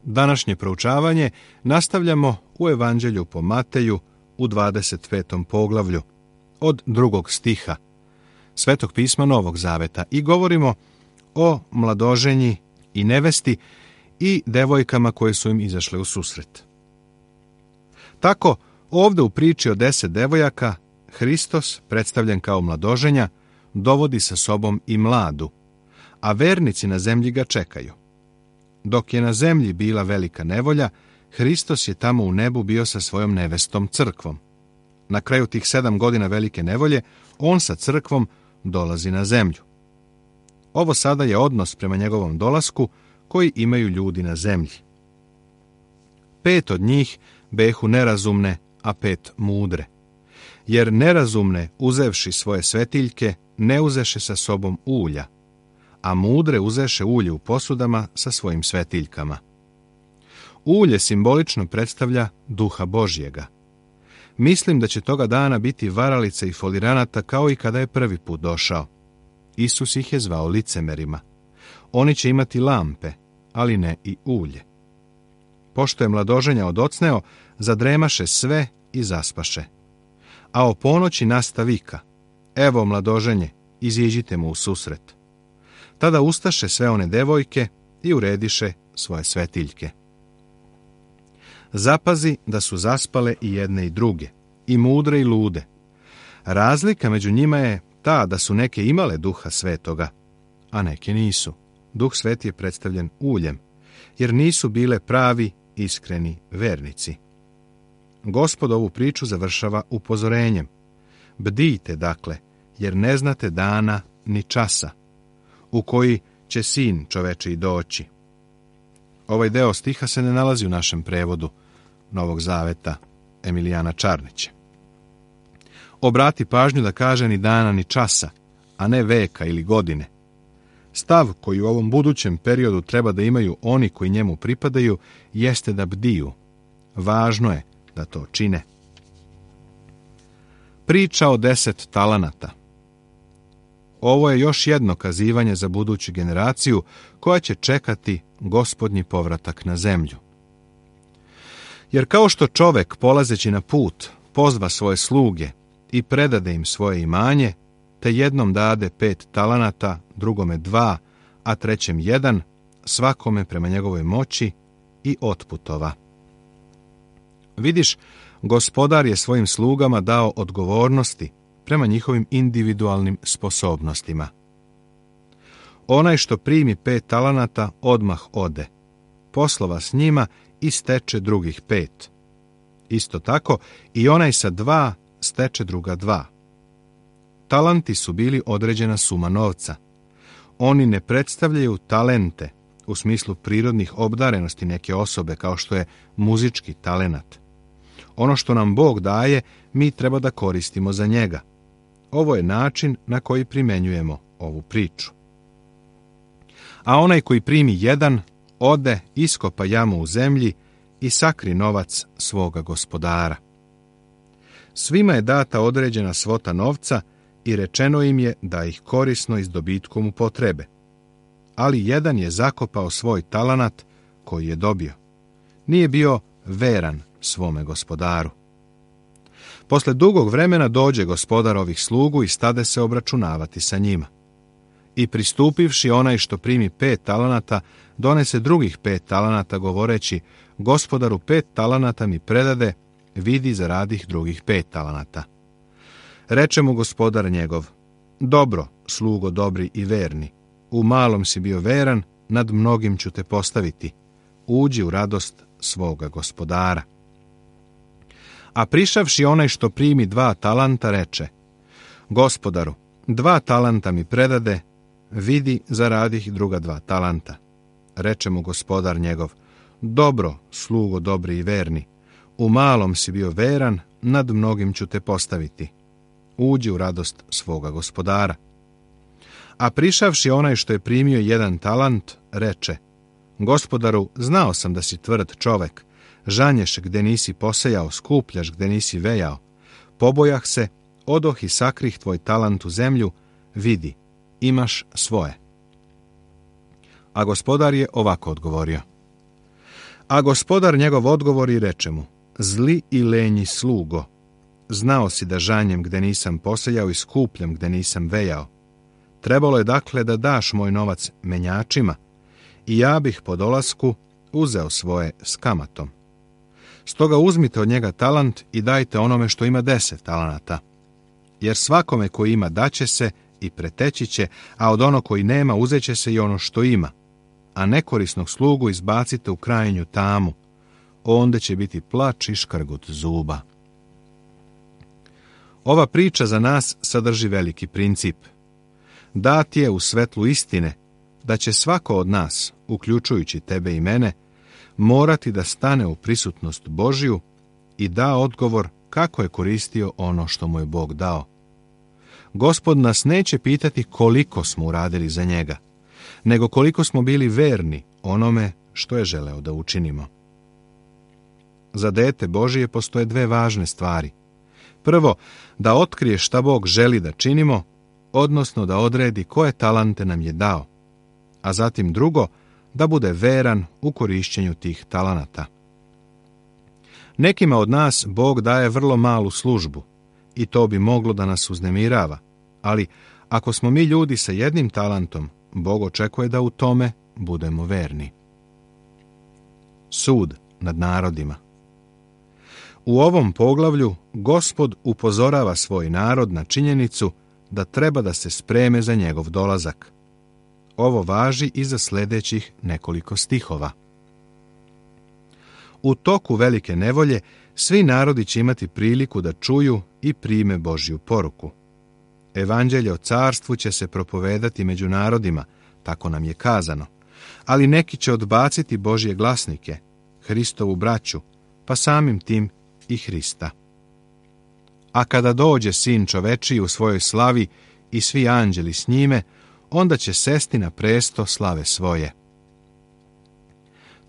Današnje proučavanje nastavljamo u Evanđelju po Mateju u 25. poglavlju od 2. stiha Svetog pisma Novog Zaveta i govorimo o mladoženji i nevesti i devojkama koje su im izašle u susret. Tako, ovdje u priči o 10 devojaka, Hristos, predstavljen kao mladoženja, dovodi sa sobom i mladu, a vernici na zemlji ga čekaju. Dok je na zemlji bila velika nevolja, Hristos je tamo u nebu bio sa svojom nevestom crkvom. Na kraju tih 7 godina velike nevolje, on sa crkvom dolazi na zemlju. Ovo sada je odnos prema njegovom dolasku koji imaju ljudi na zemlji. 5 od njih behu nerazumne, a 5 mudre. Jer nerazumne, uzevši svoje svetiljke, ne uzeše sa sobom ulja, a mudre uzeše ulje u posudama sa svojim svetiljkama. Ulje simbolično predstavlja Duha Božjega. Mislim da će toga dana biti varalica i foliranata kao i kada je prvi put došao. Isus ih je zvao licemerima. Oni će imati lampe, ali ne i ulje. Pošto je mladoženja odocneo, zadremaše sve i zaspaše. A o ponoći nasta vika: evo mladoženje, iziđite mu u susret. Tada ustaše sve one devojke i urediše svoje svetiljke. Zapazi da su zaspale i jedne i druge, i mudre i lude. Razlika među njima je ta da su neke imale Duha Svetoga, a neke nisu. Duh Sveti je predstavljen uljem, jer nisu bile pravi, iskreni vernici. Gospod ovu priču završava upozorenjem: bdijte dakle, jer ne znate dana ni časa u koji će Sin čovečiji doći. Ovaj deo stiha se ne nalazi u našem prevodu Novog Zaveta Emilijana Čarnića. Obrati pažnju da kaže ni dana ni časa, a ne veka ili godine. Stav koji u ovom budućem periodu treba da imaju oni koji njemu pripadaju jeste da bdiju. Važno je da to čine. Priča o 10 talanata. Ovo je još jedno kazivanje za buduću generaciju koja će čekati Gospodnji povratak na zemlju. Jer kao što čovek polazeći na put pozva svoje sluge i predade im svoje imanje, te jednom dade 5 talanata, drugome 2, a trećem 1, svakome prema njegovoj moći, i otputova. Vidiš, Gospodar je svojim slugama dao odgovornosti prema njihovim individualnim sposobnostima. Onaj što primi 5 talanata odmah ode, poslova s njima i steče drugih 5. Isto tako i onaj sa 2 steče druga 2. Talanti su bili određena suma novca. Oni ne predstavljaju talente u smislu prirodnih obdarenosti neke osobe kao što je muzički talenat. Ono što nam Bog daje, mi treba da koristimo za njega. Ovo je način na koji primenjujemo ovu priču. A onaj koji primi 1, ode, iskopa jamu u zemlji i sakri novac svoga gospodara. Svima je data određena svota novca i rečeno im je da ih korisno i s dobitkom upotrebe. Ali 1 je zakopao svoj talanat koji je dobio. Nije bio veran svome gospodaru. Posle dugog vremena dođe gospodar ovih slugu i stade se obračunavati sa njima. I pristupivši onaj što primi 5 talanata, donese drugih 5 talanata govoreći: gospodaru, 5 talanata mi predade, vidi zaradih drugih 5 talanata. Reče mu gospodar njegov: dobro, slugo dobri i verni, u malom si bio veran, nad mnogim ću te postaviti, uđi u radost svoga gospodara. A prišavši onaj što primi 2 talanta, reče: gospodaru, 2 talanta mi predade, vidi zaradih druga 2 talanta. Reče mu gospodar njegov: dobro, slugo dobri i verni, u malom si bio veran, nad mnogim ću te postaviti, uđi u radost svoga gospodara. A prišavši onaj što je primio 1 talant, reče: gospodaru, znao sam da si tvrd čovek, žanješ gde nisi posejao, skupljaš gde nisi vejao. Pobojah se, odoh i sakrih tvoj talant u zemlju, vidi, imaš svoje. A gospodar je ovako odgovorio: A gospodar njegov odgovori i reče mu: zli i lenji slugo, znao si da žanjem gde nisam posejao i skupljam gde nisam vejao. Trebalo je dakle da daš moj novac menjačima i ja bih po dolasku uzeo svoje s kamatom. Stoga uzmite od njega talant i dajte onome što ima 10 talanata. Jer svakome koji ima daće se i preteći će, a od onog koji nema uzet će se i ono što ima. A nekorisnog slugu izbacite u krajnju tamu, onda će biti plač i škrgut zuba. Ova priča za nas sadrži veliki princip. Dat je u svetlu istine da će svako od nas, uključujući tebe i mene, morati da stane u prisutnost Božju i da odgovor kako je koristio ono što mu je Bog dao. Gospod nas neće pitati koliko smo uradili za njega, nego koliko smo bili verni onome što je želeo da učinimo. Za dete Božije postoje 2 važne stvari. Prvo, da otkrije šta Bog želi da činimo, odnosno da odredi koje talante nam je dao, a zatim drugo, da bude veran u korišćenju tih talanata. Nekima od nas Bog daje vrlo malu službu i to bi moglo da nas uznemirava, ali ako smo mi ljudi sa 1 talantom, Bog očekuje da u tome budemo verni. Sud nad narodima. U ovom poglavlju Gospod upozorava svoj narod na činjenicu da treba da se spreme za njegov dolazak. Ovo važi i za sljedećih nekoliko stihova. U toku velike nevolje svi narodi će imati priliku da čuju i prime Božju poruku. Evanđelje o carstvu će se propovedati među narodima, tako nam je kazano, ali neki će odbaciti Božje glasnike, Hristovu braću, pa samim tim i Hrista. A kada dođe Sin čovečiji u svojoj slavi i svi anđeli s njime, onda će sesti na presto slave svoje.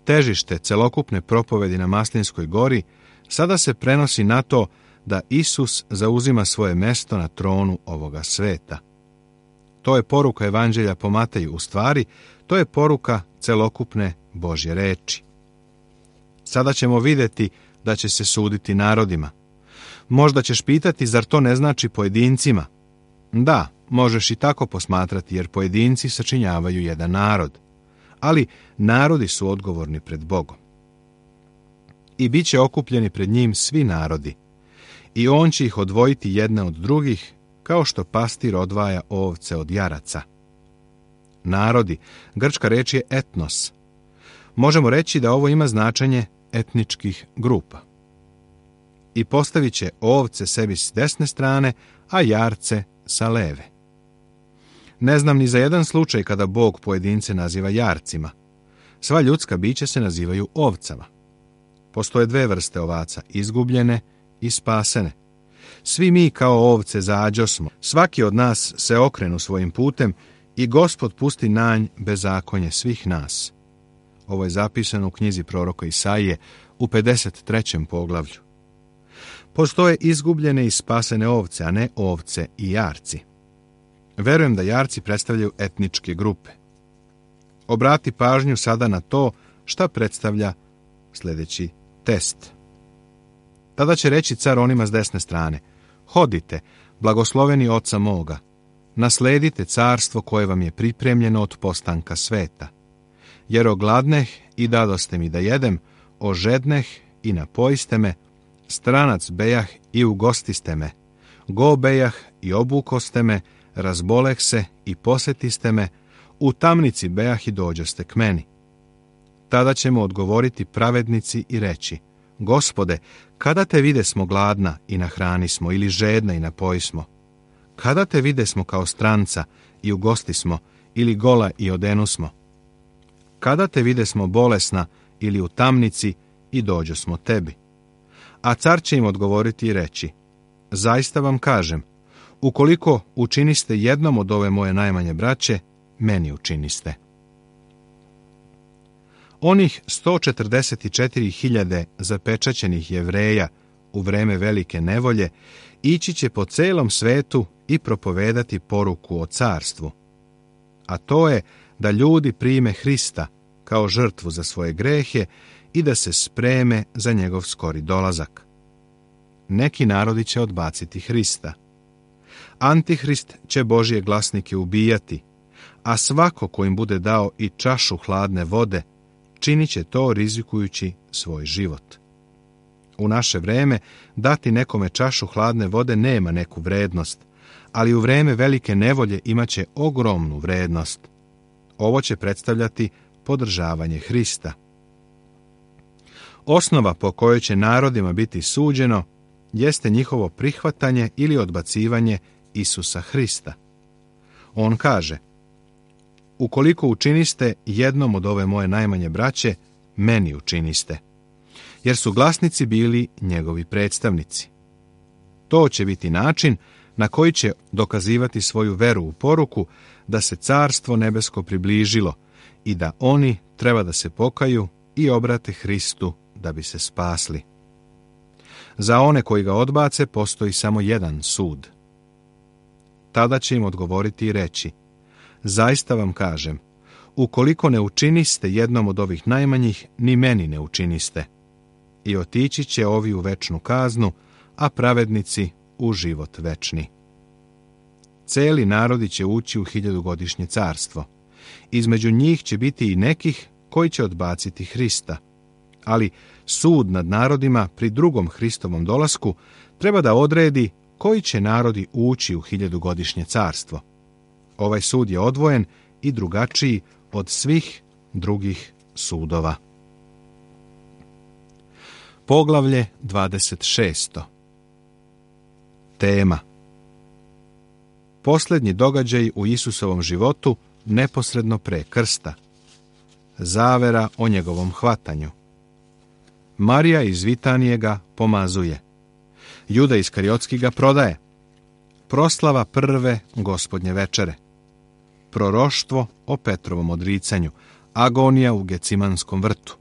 Težište celokupne propovedi na Maslinskoj gori sada se prenosi na to da Isus zauzima svoje mesto na tronu ovoga sveta. To je poruka Evanđelja po Mateju, u stvari, to je poruka celokupne Božje reči. Sada ćemo vidjeti da će se suditi narodima. Možda ćeš pitati, zar to ne znači pojedincima? Da, možeš i tako posmatrati, jer pojedinci sačinjavaju jedan narod. Ali narodi su odgovorni pred Bogom. I bit će okupljeni pred njim svi narodi. I on će ih odvojiti jedne od drugih, kao što pastir odvaja ovce od jaraca. Narodi, grčka reč je etnos. Možemo reći da ovo ima značenje etničkih grupa. I postavit će ovce sebi s desne strane, a jarce sa leve. Ne znam ni za jedan slučaj kada Bog pojedince naziva jarcima. Sva ljudska bića se nazivaju ovcama. Postoje 2 vrste ovaca, izgubljene i spasene. Svi mi kao ovce zađosmo, svaki od nas se okrenu svojim putem i Gospod pusti na nj bezakonje svih nas. Ovo je zapisano u knjizi proroka Isaije u 53. poglavlju. Postoje izgubljene i spasene ovce, a ne ovce i jarci. Verujem da jarci predstavljaju etničke grupe. Obrati pažnju sada na to šta predstavlja sljedeći test. Tada će reći car onima s desne strane: hodite, blagosloveni oca moga, nasledite carstvo koje vam je pripremljeno od postanka sveta. Jer ogladneh i dadoste mi da jedem, ožedneh i napojiste me, stranac bejah i ugostiste me, go bejah i obukoste me, razboleh se i posetiste me, u tamnici bejah i dođoste k meni. Tada ćemo odgovoriti pravednici i reći: Gospode, kada te videsmo gladna i nahranismo, ili žedna i napojismo? Kada te videsmo kao stranca i ugostismo, ili gola i odenusmo? Kada te videsmo bolesna ili u tamnici i dođosmo tebi? A car će im odgovoriti i reći: zaista vam kažem, ukoliko učiniste jednom od ove moje najmanje braće, meni učiniste. Onih 144.000 zapečaćenih Jevreja u vreme velike nevolje ići će po celom svetu i propovedati poruku o carstvu. A to je da ljudi prime Hrista kao žrtvu za svoje grehe i da se spreme za njegov skori dolazak. Neki narodi će odbaciti Hrista. Antihrist će Božje glasnike ubijati, a svako ko im bude dao i čašu hladne vode, činit će to rizikujući svoj život. U naše vreme dati nekome čašu hladne vode nema neku vrednost, ali u vreme velike nevolje imaće ogromnu vrednost. Ovo će predstavljati podržavanje Hrista. Osnova po kojoj će narodima biti suđeno jeste njihovo prihvatanje ili odbacivanje Isusa Hrista. On kaže: ukoliko učiniste jednom od ove moje najmanje braće, meni učiniste, jer su glasnici bili njegovi predstavnici. To će biti način na koji će dokazivati svoju veru u poruku da se Carstvo nebesko približilo i da oni treba da se pokaju i obrate Hristu da bi se spasli. Za one koji ga odbace postoji samo jedan sud. Tada će im odgovoriti i reći: zaista vam kažem, ukoliko ne učiniste jednom od ovih najmanjih, ni meni ne učiniste. I otići će ovi u večnu kaznu, a pravednici u život večni. Celi narodi će ući u 1000-godišnje carstvo. Između njih će biti i nekih koji će odbaciti Hrista. Ali sud nad narodima pri drugom Hristovom dolasku treba da odredi koji će narodi ući u 1000-godišnje carstvo. Ovaj sud je odvojen i drugačiji od svih drugih sudova. Poglavlje 26. Tema: posljednji događaj u Isusovom životu neposredno pre krsta. Zavera o njegovom hvatanju. Marija iz Vitanije ga pomazuje. Juda Iskariotski ga prodaje. Proslava prve Gospodnje večere. Proroštvo o Petrovom odricanju. Agonija u Gecimanskom vrtu.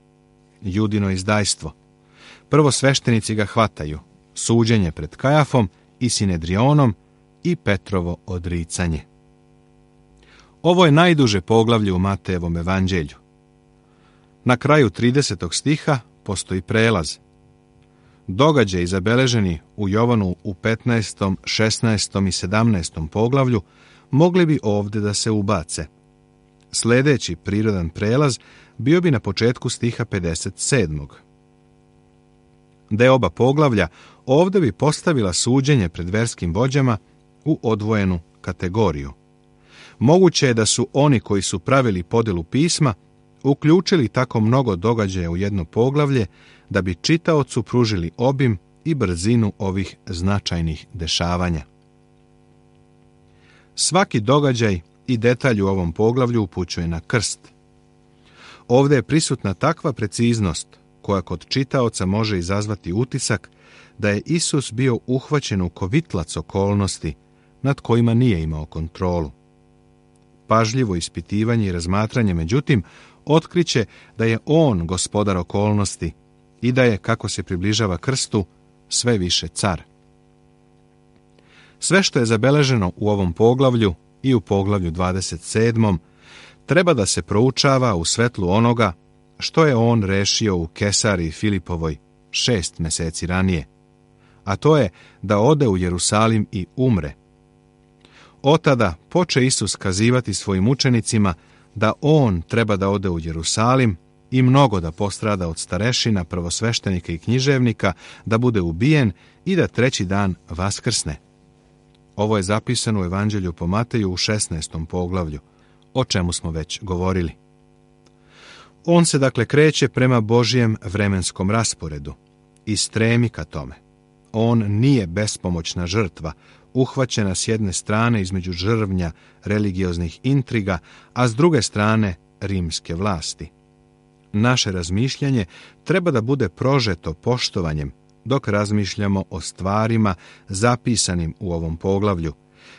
Judino izdajstvo. Prvosveštenici ga hvataju. Suđenje pred Kajafom i Sinedrionom i Petrovo odricanje. Ovo je najduže poglavlje u Matejevom evanđelju. Na kraju 30. stiha postoji prelaz. Događaji zabeleženi u Jovanu u 15., 16. i 17. poglavlju mogli bi ovdje da se ubace. Sljedeći prirodan prelaz bio bi na početku stiha 57. Da je oba poglavlja ovdje bi postavila suđenje pred verskim vođama u odvojenu kategoriju. Moguće je da su oni koji su pravili podjelu pisma uključili tako mnogo događaja u jedno poglavlje da bi čitaocu pružili obim i brzinu ovih značajnih dešavanja. Svaki događaj i detalj u ovom poglavlju upućuje na krst. Ovdje je prisutna takva preciznost koja kod čitaoca može izazvati utisak da je Isus bio uhvaćen u kovitlac okolnosti nad kojima nije imao kontrolu. Pažljivo ispitivanje i razmatranje, međutim, otkriće da je on gospodar okolnosti i da je, kako se približava krstu, sve više car. Sve što je zabeleženo u ovom poglavlju i u poglavlju 27. treba da se proučava u svetlu onoga što je on rešio u Kesariji Filipovoj 6 meseci ranije, a to je da ode u Jerusalim i umre. Otada poče Isus kazivati svojim učenicima da on treba da ode u Jerusalim i mnogo da postrada od starešina, prvosveštenika i književnika, da bude ubijen i da 3. dan vaskrsne. Ovo je zapisano u Evanđelju po Mateju u 16. poglavlju, o čemu smo već govorili. On se dakle kreće prema Božjem vremenskom rasporedu i stremi ka tome. On nije bespomoćna žrtva, uhvaćena s jedne strane između žrvnja religioznih intriga, a s druge strane rimske vlasti. Naše razmišljanje treba da bude prožeto poštovanjem dok razmišljamo o stvarima zapisanim u ovom poglavlju,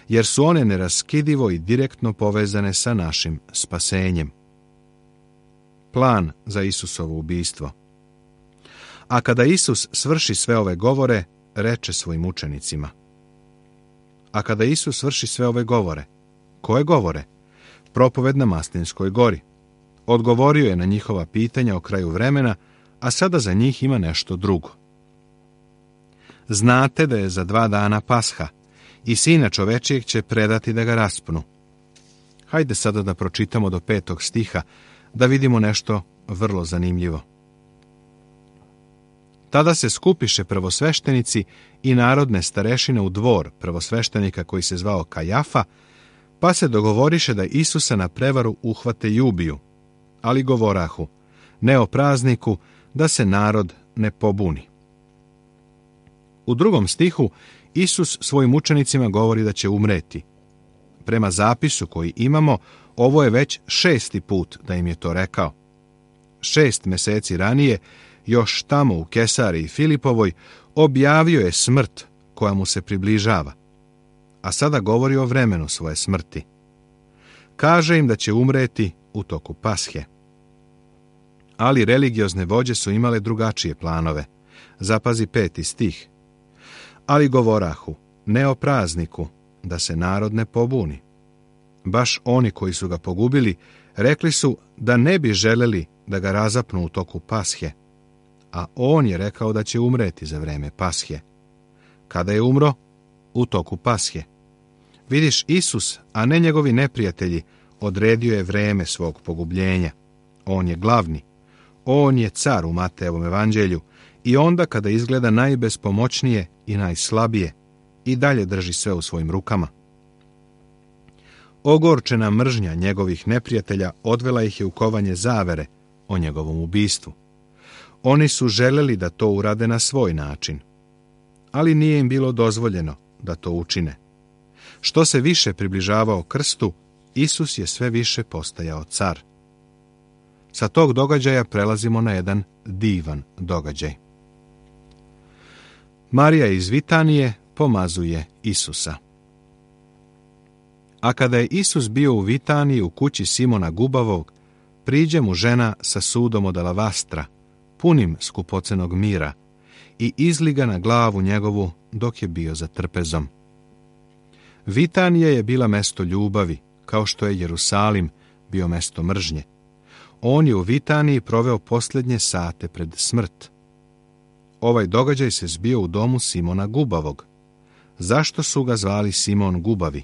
jer su one neraskidivo i direktno povezane sa našim spasenjem. Plan za Isusovo ubistvo. A kada Isus svrši sve ove govore, reče svojim učenicima. A kada Isus svrši sve ove govore, koje govore? Propoved na Maslinskoj gori. Odgovorio je na njihova pitanja o kraju vremena, a sada za njih ima nešto drugo. Znate da je za 2 dana Pasha i Sina čovečijeg će predati da ga raspnu. Hajde sada da pročitamo do 5. stiha, da vidimo nešto vrlo zanimljivo. Tada se skupiše prvosveštenici i narodne starešine u dvor prvosveštenika koji se zvao Kajafa, pa se dogovoriše da Isusa na prevaru uhvate i ubiju, ali govorahu, ne o prazniku, da se narod ne pobuni. U 2. stihu Isus svojim učenicima govori da će umreti. Prema zapisu koji imamo, ovo je već 6. put da im je to rekao. 6 meseci ranije, još tamo u Kesariji Filipovoj, objavio je smrt koja mu se približava, a sada govori o vremenu svoje smrti. Kaže im da će umreti u toku Pashe. Ali religiozne vođe su imale drugačije planove. Zapazi 5. stih. Ali govorahu, ne o prazniku, da se narod ne pobuni. Baš oni koji su ga pogubili, rekli su da ne bi želeli da ga razapnu u toku Pashe, a on je rekao da će umreti za vreme Pashe. Kada je umro? U toku Pashe. Vidiš, Isus, a ne njegovi neprijatelji, odredio je vreme svog pogubljenja. On je glavni. On je car u Matejevom evanđelju i onda kada izgleda najbespomoćnije i najslabije, i dalje drži sve u svojim rukama. Ogorčena mržnja njegovih neprijatelja odvela ih je u kovanje zavere o njegovom ubistvu. Oni su želeli da to urade na svoj način, ali nije im bilo dozvoljeno da to učine. Što se više približavao krstu, Isus je sve više postajao car. Sa tog događaja prelazimo na jedan divan događaj. Marija iz Vitanije pomazuje Isusa. A kada je Isus bio u Vitaniji u kući Simona Gubavog, priđe mu žena sa sudom od alavastra, punim skupocenog mira, i izli ga na glavu njegovu dok je bio za trpezom. Vitanija je bila mesto ljubavi, kao što je Jerusalim bio mesto mržnje. On je u Vitaniji proveo posljednje sate pred smrt. Ovaj događaj se zbio u domu Simona Gubavog. Zašto su ga zvali Simon Gubavi?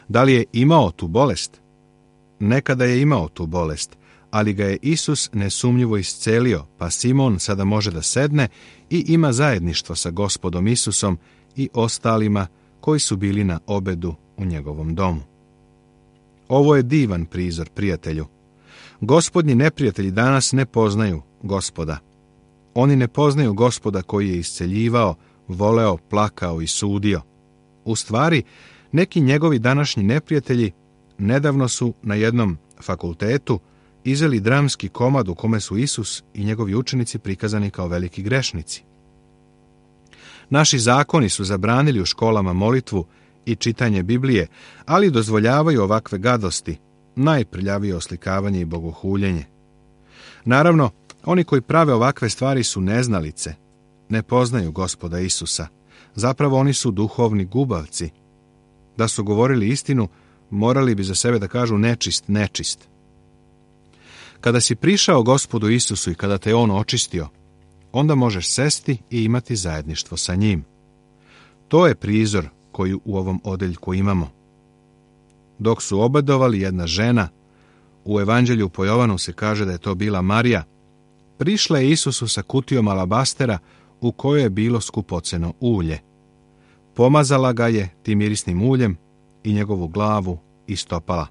Da li je imao tu bolest? Nekada je imao tu bolest, ali ga je Isus nesumnjivo iscelio, pa Simon sada može da sedne i ima zajedništvo sa Gospodom Isusom i ostalima koji su bili na obedu u njegovom domu. Ovo je divan prizor, prijatelju. Gospodnji neprijatelji danas ne poznaju Gospoda. Oni ne poznaju Gospoda koji je isceljivao, voleo, plakao i sudio. U stvari, neki njegovi današnji neprijatelji nedavno su na jednom fakultetu izveli dramski komad u kome su Isus i njegovi učenici prikazani kao veliki grešnici. Naši zakoni su zabranili u školama molitvu i čitanje Biblije, ali dozvoljavaju ovakve gadosti, najprljavije oslikavanje i bogohuljenje. Naravno, oni koji prave ovakve stvari su neznalice, ne poznaju Gospoda Isusa. Zapravo oni su duhovni gubavci. Da su govorili istinu, morali bi za sebe da kažu nečist, nečist. Kada si prišao Gospodu Isusu i kada te on očistio, onda možeš sesti i imati zajedništvo sa njim. To je prizor koji u ovom odeljku imamo. Dok su obedovali, jedna žena, u evanđelju po Jovanu se kaže da je to bila Marija, prišla je Isusu sa kutijom alabastera u kojoj je bilo skupoceno ulje. Pomazala ga je tim mirisnim uljem i njegovu glavu istopala.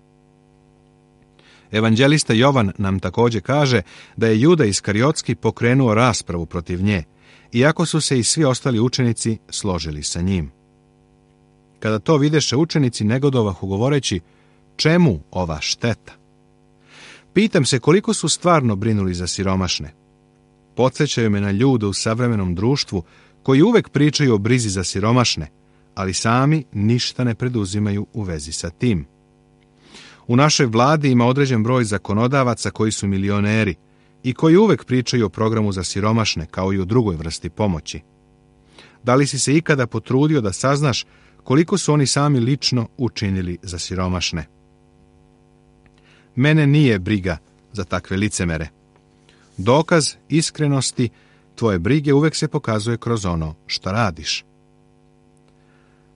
Evanđelista Jovan nam također kaže da je Juda Iskariotski pokrenuo raspravu protiv nje, iako su se i svi ostali učenici složili sa njim. Kada to videše učenici, negodovahu govoreći, čemu ova šteta? Pitam se koliko su stvarno brinuli za siromašne. Podsjećaju me na ljude u savremenom društvu koji uvek pričaju o brizi za siromašne, ali sami ništa ne preduzimaju u vezi sa tim. U našoj vladi ima određen broj zakonodavaca koji su milioneri i koji uvek pričaju o programu za siromašne kao i o drugoj vrsti pomoći. Da li si se ikada potrudio da saznaš koliko su oni sami lično učinili za siromašne? Mene nije briga za takve licemere. Dokaz iskrenosti tvoje brige uvek se pokazuje kroz ono što radiš.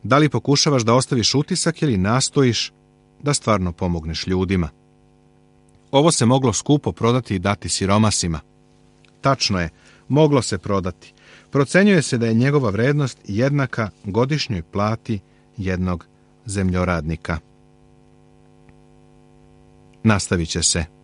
Da li pokušavaš da ostaviš utisak ili nastojiš da stvarno pomogneš ljudima? Ovo se moglo skupo prodati i dati siromasima. Tačno je, moglo se prodati. Procenjuje se da je njegova vrednost jednaka godišnjoj plati jednog zemljoradnika. Nastavit će se.